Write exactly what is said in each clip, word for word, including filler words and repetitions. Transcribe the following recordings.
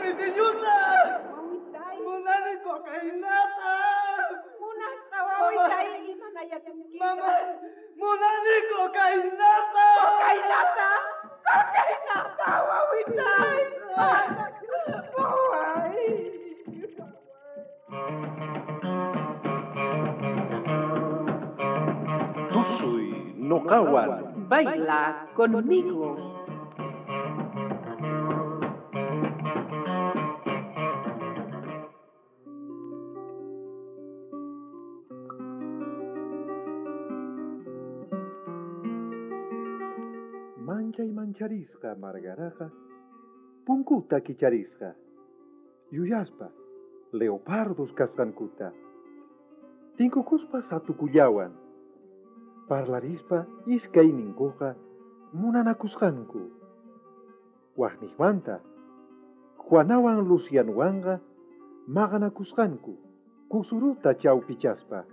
pitiñuta! Munani cocainata! Munasqa wawitay imanayasunki. Mama, munani cocainata! Cocainata! Cocainata, wawitay! Waway! Tusuy noqawan. Baila conmigo. Manchay mancharisqa Margaraqa punkuta kicharisqa. Yuyaspa leopardos kasqankuta. Tinkukuspa satukullawan. Parlarispa iskayninkuqa munanakusqanku. Waqniqmanta Juanawan Lucianwanqa maqanakusqanku kusuruta chawpichaspa.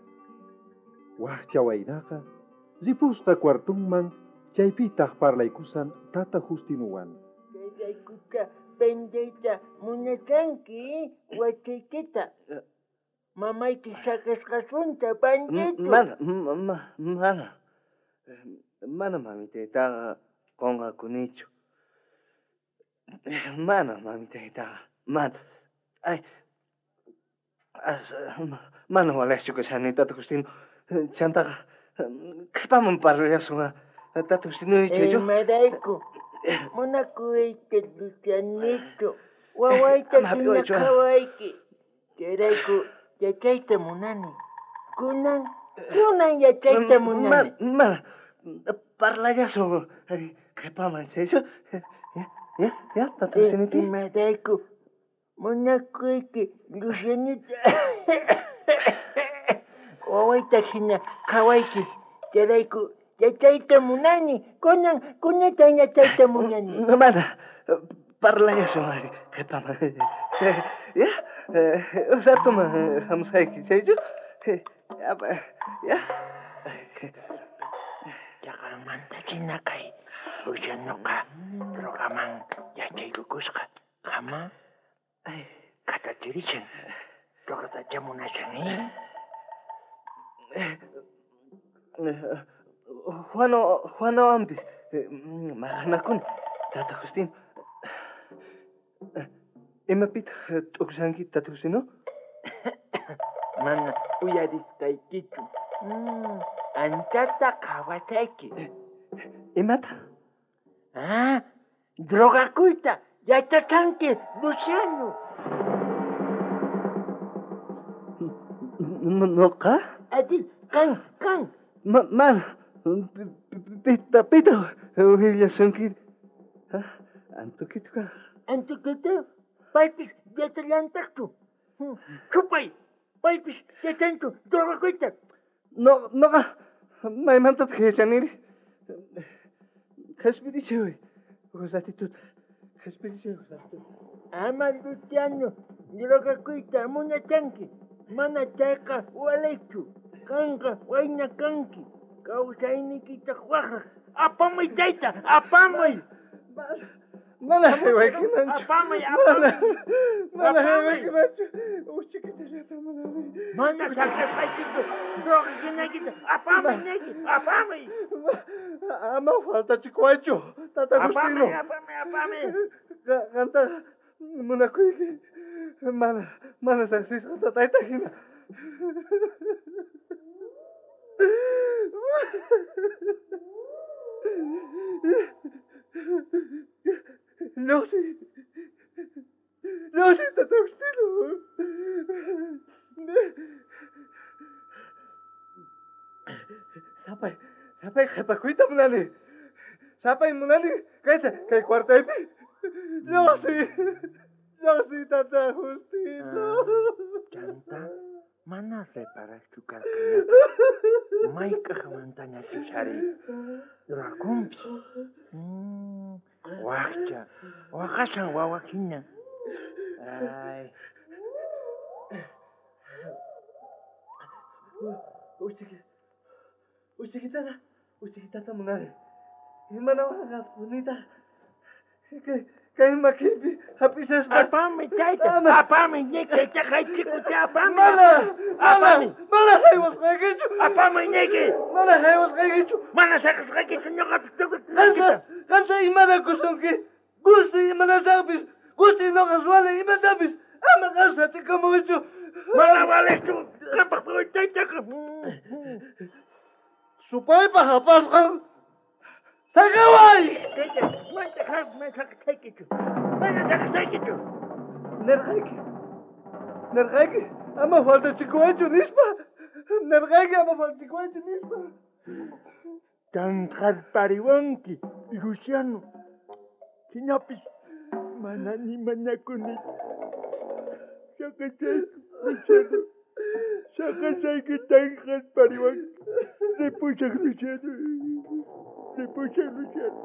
Waqcha waynaqa ripusqa cuartunman chaypitaq parlaykusan tata Justinuwan. Chayraykuta vendeyta munachanki wachaykita. Mamayki saqesqasunta bandido. Mana, ma, mana. Mana mamitaytaqa qunqakunichu. Mana mamitaytaqa, mana. Ay, as, mana walejchu kashani, tata Justino. Chantaqa, qhipaman parlallasun, tata Justino chaychu. Imarayku, munakuyta Lucianito, wawayta hina qhawayki. Chayrayku yachayta munani. Kunan, kunan yachayta munani. Mana, parlallasun, qhipaman chaychu. Ya, ya, tata Justinito. Imarayku, munakuyki Lucianito. Wawayta hina qhawayki. Chayrayku yachayta munani. Kunan, kunata yachayta munani. Mana, parlallasun ari, qhipaman. Ya, usatuman hamusayki chaychu. Ya, ya. Chaqanmanta china kay Lucianoqa drogaman yachaykukusqa. Ama katachirishan. Drogatacha munashan, eh? Juano, Juanowanpis maqanakuni, tata Justino. Imapitaq t'ukushanki, tata Justino? Mana uyarisqaykichu. Anchata qhawasayki. Imata? Ah, drogakuyta yachachanki, Luciano. Noqa? Ati, kan, kan. Ma, mana, pita, pita, willasunki. Antukituqa. Antukito, paypis yachallantaqchu. Chupay, paypis yachanchu drogakuyta. No, noqa, maymantataq yachaniri. Qhispirichiway, Josatituta. Qhispirichiway, Josatituta. Ama, Luciano, drogakuyta munachanki. Mana chayqa walaychu. Kanqa wayna kanki. Kawsayniykitaq waqraq. Apamuy chayta, apamuy. Mana haywaykimanchu. Apamuy, apamuy. Mana haywaykimanchu. Uchikitallataq munani. Mana saqesqaykichu drogakinaykita. Apamuy niyki, apamuy. Ama faltachikuwaychu, tata Justino. Apamuy, apamuy, apamuy. Qantaqa munakuyki. Mana, mana saqsisqa tatayta hina. Lluqsi. Lluqsi, tata Justino. Sapay, sapay qhipakuyta munani. Sapay munani kayta, kay cuartaypi. Lluqsi. Lluqsi, tata Justino. Chanta, mana reparaqchu karqañaqa. Mayk'aqmantañachus ari drogakunpi. Waqcha, waqashan wawa hina. Ay. Uchikitata, uchikitata munani. Imanawanqa punitaq. Kay, Kay makiypi hap'isaspa. Apami chayta. Apami niki chaqaychikuta apami. Mana, mana, mana haywasqaykichu. Apami niki. Mana haywasqaykichu. Mana saqasqaykichu ñuqapis tukuy. Qanta, qanta imanakusunki. Gusti imanasaqpis. Gusti noqa ruwani imatapis. Ama qan satikamuchu. Mana valechu. Qampaq chaytaqa. Supaypaq apasqan. ¡Saqaway! Mana saqasqaykichu. Mana saqasqaykichu. Nerqayki. Nerqayki. Ama faltachikuwaychu nispa. Nerqayki ama faltachikuwaychu nispa. Tanqarpariwanki, Luciano. Hinapis mana ni mañakuni. Saqasayki, Luciano. Saqasayki tanqarpariwanki. Ripusaq, Luciano. Ripusaq, Luciano.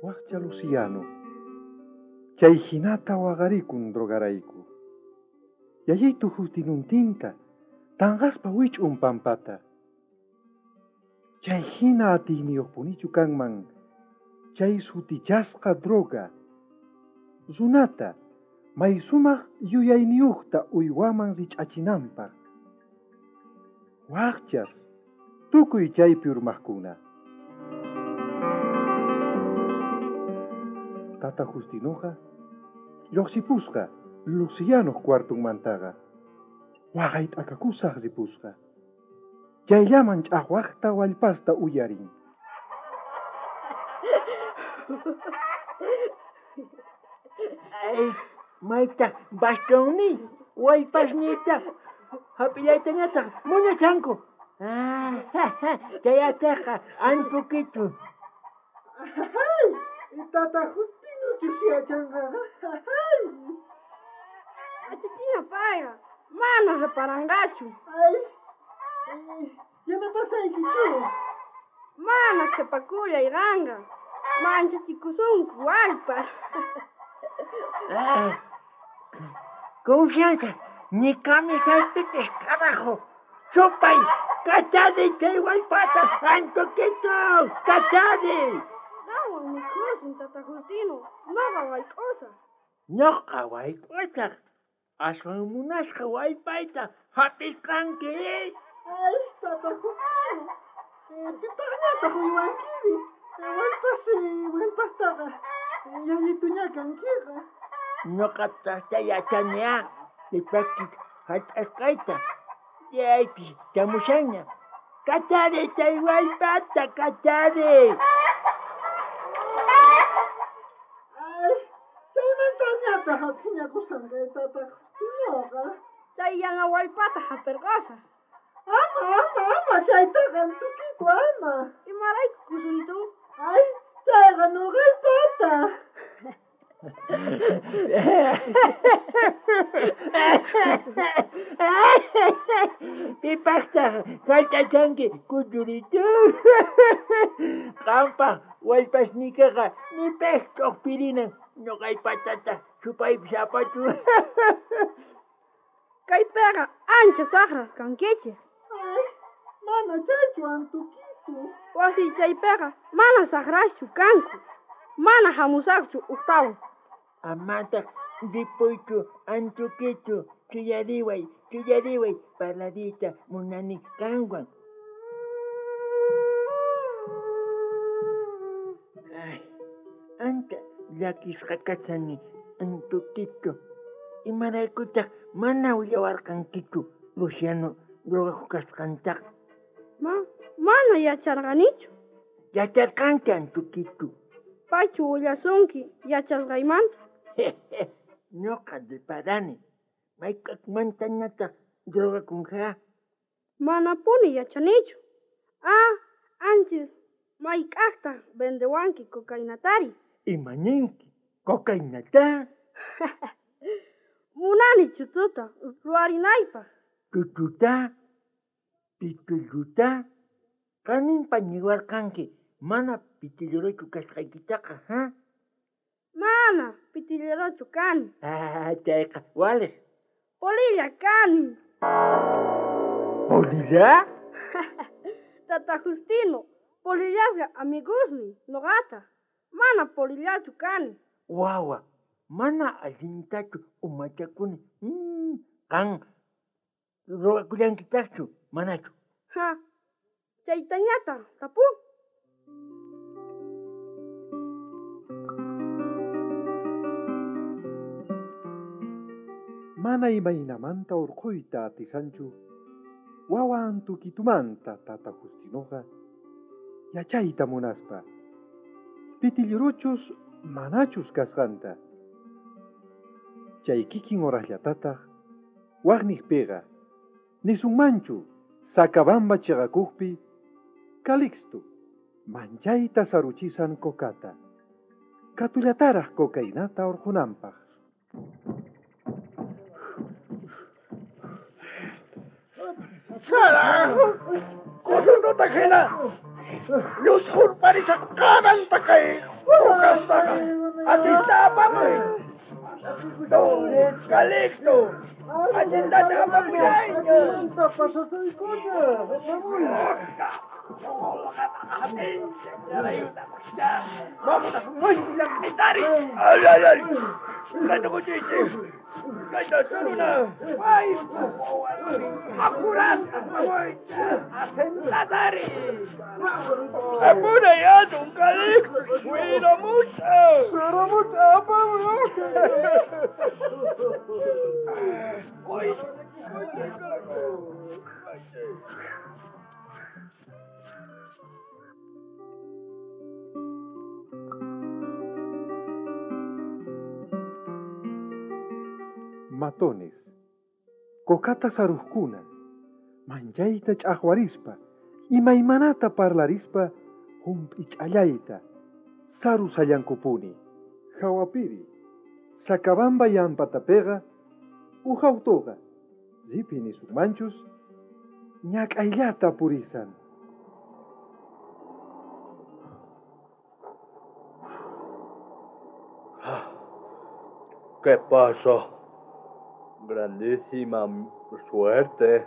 Waqcha Luciano, chay hinata waqarikun drogarayku. Yayitu Justinuntinta, tanqaspa wich'un pampata. Chay hina atiyniyuqpunichu kanman, chay sutichasqa droga. Runata, may sumaq yuyayniyuqta uywaman rich'achinanpaq. Waqchas, tukuy chaypi urmaqkuna. Tata Justinoqa lluqsipusqa Lucianoq cuartunmantaqa. Waqay t'akakusaq ripusqa. Chayllaman ch'aqwaqta wallpasta uyarin. Ay, maytaq bastonniy, wallpasniytaq hap'illaytañataq munachanku. Ah, chayataqa antukichu. Ay, tata Justino chusiyachanqaqa. Ay. Achichina payqa, mana reparanqachu. Ay, yanapasaykichu. Mana qhipakullay qanqa. Manchachikusunku wallpas. Ay, confianza, ni camisaypitis carajo. Supay, kachari chay wallpata, antukito, kachari. Qanwan mikhusun, tata Justino, noqa wayk'usaq. Noqa wayk'usaq. Aswan munasqa wallpayta hap'isqanki. Ay, tata Justino, pipaqñataq uywankiri. Wallpas, wallpastaqa yayituña kankiqa. Noqataqta yachaniá, pipaqchus hallch'asqayta. Chaypis chamushanña. Kachari chay wallpata, kachari. Ay, chaymantañataq phiñakusanqa tata Justinoqa. Chay yana wallpata hap'irqasaq. Ama, ama, ama, chaytaqa antukitu, ama. Imarayku kusuritu? Ay, chayqa nuqaypata. Pipaqtaq hallch'achanki kuyuritu. Qampaq wallpasniykiqa ni pej ch'uqpirinan ñuqaypatata supaypis apachu. Kaypiqa ancha saqras kankichik. Ay, mana chaychu antukitu. Wasi chaypiqa mana saqraschu kanku. Mana hamusaqchu uktawan. Amataq ripuychu antukitu, chuyariway, chuyariway, parlariyta munani qanwan. Ay, ancha llakisqa kashani antukitu. Imaraykutaq mana willawarqankichu Luciano drogakuq kasqantaqa. Ma, mana yacharqanichu. Yacharqanki antukitu. Paychu willasunki yachasqaymanta. Ñuqa reparani. Mayk'aqmantañataq drogakunqa? Manapuni yachanichu. Ah, anchis mayk'aqtaq vendewanki cocainatari. Imaninki cocainata? Munani chututa ruwarinaypaq. Chuchuta, pitulluta, qaninpa niwarqanki mana pitillerochu kasqaykitaqa, ha? Mana pitillerochu kani. Ah, chayqa waliq. Polilla kani. Polilla? Tata Justino, polillasqa amigosni, noqata. Mana polillachu kani. Wawa, mana allintachu umachakuni. Mm, qan ruwakullankitaqchu, manachu? Ha, chaytañata tapu. Mana imaynamanta urquyta atisanchu, wawa Antukitumanta tata Justinoqa yachayta munaspa, pitilluruchus manachus kasqanta. Chay kikin horasllatataq waqniqpiqa, nisunmanchu Sacabamba chiqakuqpi, Calixto manchayta saruchisan kokata, katullataraq cocainata urqunanpaq. ¡Carajo! ¡Coyundota jina! ¡Llushurparishaq qamanta kay kukastaqa! ¡Allinta apamuy! ¡Calixto! ¡Allinta apamuyayña! ¡Ay, ay, ay! ¡Ay! ¡Apurad! ¡Asentatari! ¡Apura ya, don Calixto! ¡Suena mucho! ¡Suena mucho! ¡Apamuy! ¡Ay! Matones, kokata saruqkuna, manchayta ch'aqwarispa, imaymanata parlarispa, hump'ich'allayta, sarusallankupuni. Hawapiri, Sacabamba yampatapiqa, uj autuqa, ripi nisunmanchus, ñak'ayllata purisan. ¿Qué pasó? Grandísima suerte.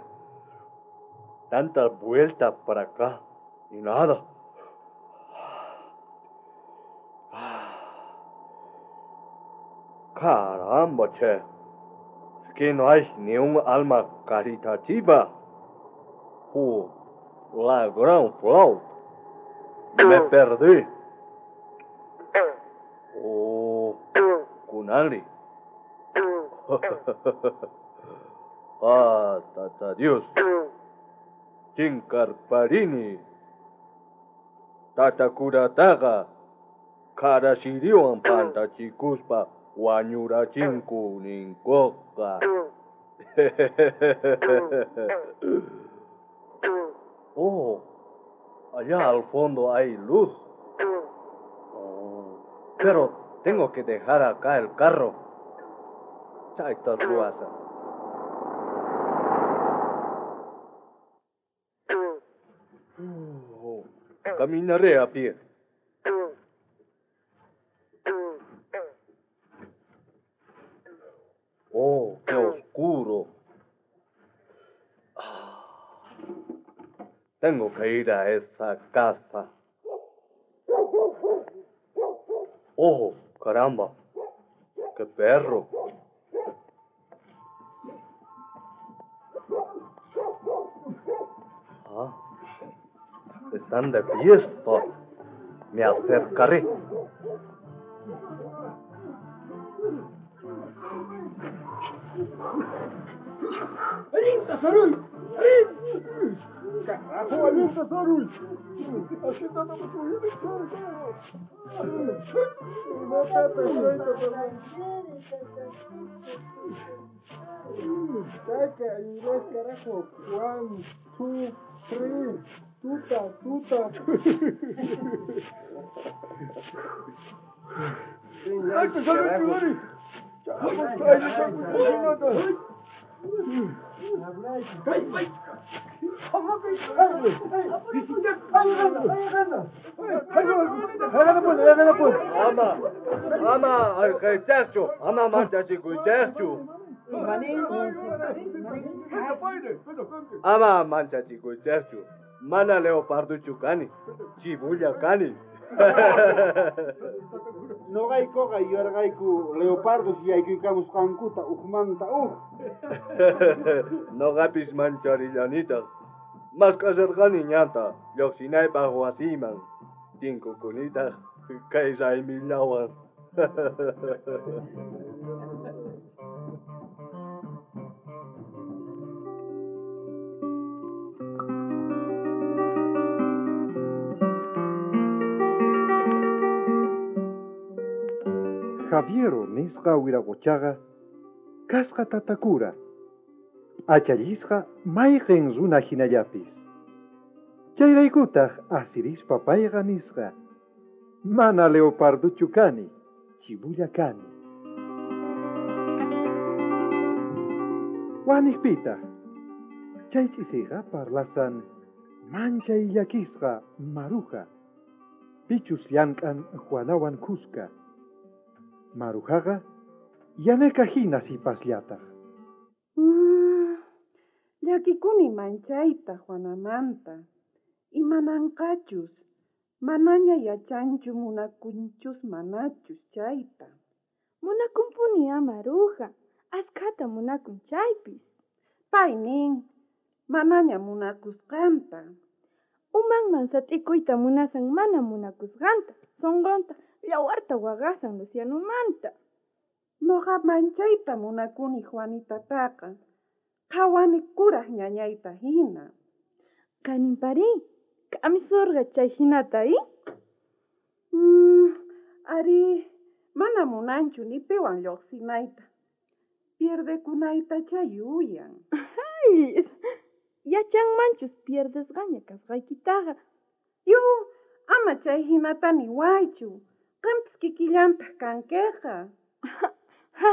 Tantas vueltas para acá y nada. Caramba, che. Que no hay ni un alma caritativa. Oh, la gran flauta. Me perdí. Oh, Kunali. Ah, tata Dios. Chinkarparini. Tata kurataqa karasiriwan pantachikuspa wañurachinku ninkuqa. Oh, allá al fondo hay luz. Oh, pero tengo que dejar acá el carro. Chayta ruwasaq. Oh, caminaré a pie. Oh, qué oscuro. Ah, tengo que ir a esa casa. Oh, caramba. Qué perro. Ah, están de fiesta. Me acercaré. ¡Alinta, Saruy! ¡Alin! ¡Carajo, alinta, Saruy! ¡Haciendo subir el charco! ¡No te Saca, inglés, carajo! One, two, three, tuta, tuta. ¡Ay, te sale, Ama, ama, ayqaychaqchu, ama manchachikuychaqchu. Ama manchachikuychejchu, mana leoparduchu kani, chibulla kani. Noqaykuqa yuyarqayku leopardos yaykuykamusqankuta ujmanta uj. Noqapis mancharillanitaj. Mask'asharqani ñanta lluqsinaypaq wasiyman. Tinkukunitaq kay raymillawan. Javiero nisqa wiraqochaqa kasqa tatakura, p'achallisqa mayqin runa hinallapis. Chayraykutaq asirispa payqa nisqa, mana leoparduchu kani, chibulla kani. Waniqpitaq, chay ch'isiqa parlasan manchay llakisqa Maruja, pichus llank'an Juanawan kuska. Marujaqa yaneka hina sipasllataq. Mm, llakikuni manchayta Juanamanta. Imananqachus, manaña yachanchu munakunchus manachus chayta. Munakunpuni a Maruja, askhata munakun chaypis. Pay nin, manaña munakusqanta. Umanman sat'ikuyta munasan mana munakusqanta, sonqonta yawarta waqasan Lucianomanta. Noqa manchayta munakuni Juanitataqa, qhawani kuraj ñañayta hina. Kaninpari, k'amisurqa chay hinata, i? Mm, ari, mana munanchu ni piwan lluqsinayta. Pierdekunaytachá yuyan. Ay, yachanmanchus pierdesqaña kasqaykitaqa. Yu, ama chay hinata niwaychu. Qampis kikillantaq kankiqa. Ha,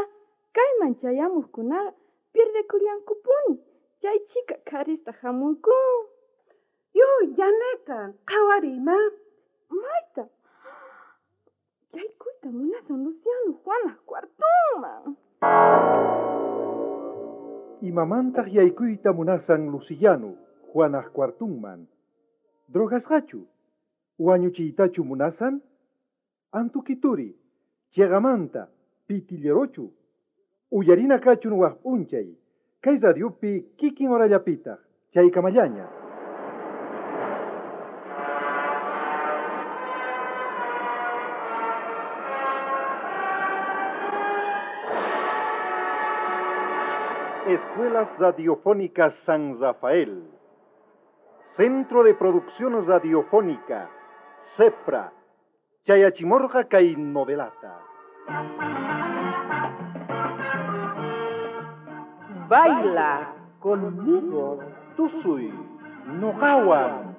kayman chayamuqkunaqa pierdekullankupuni. Chay chhika qharista hamunku. Yu, yaneka, qhawariyma. Mayta. Yaykuyta munasan Luciano Juanaj cuartunman. Imamantaq yaykuyta munasan Luciano Juanaj cuartunman. Drogasqachu, wañuchiytachu munasan? Antukituri, chegamanta, pitillerochu. Uyarina kachun waj p'unchay, kay radiopi kikin horallapitaq, chaykamallaña. Escuelas Radiofónicas San Rafael, Centro de Producción Radiofónica, CEPRA, Chayachimorga kay novelata. Baila conmigo. Tusuy, noqawan.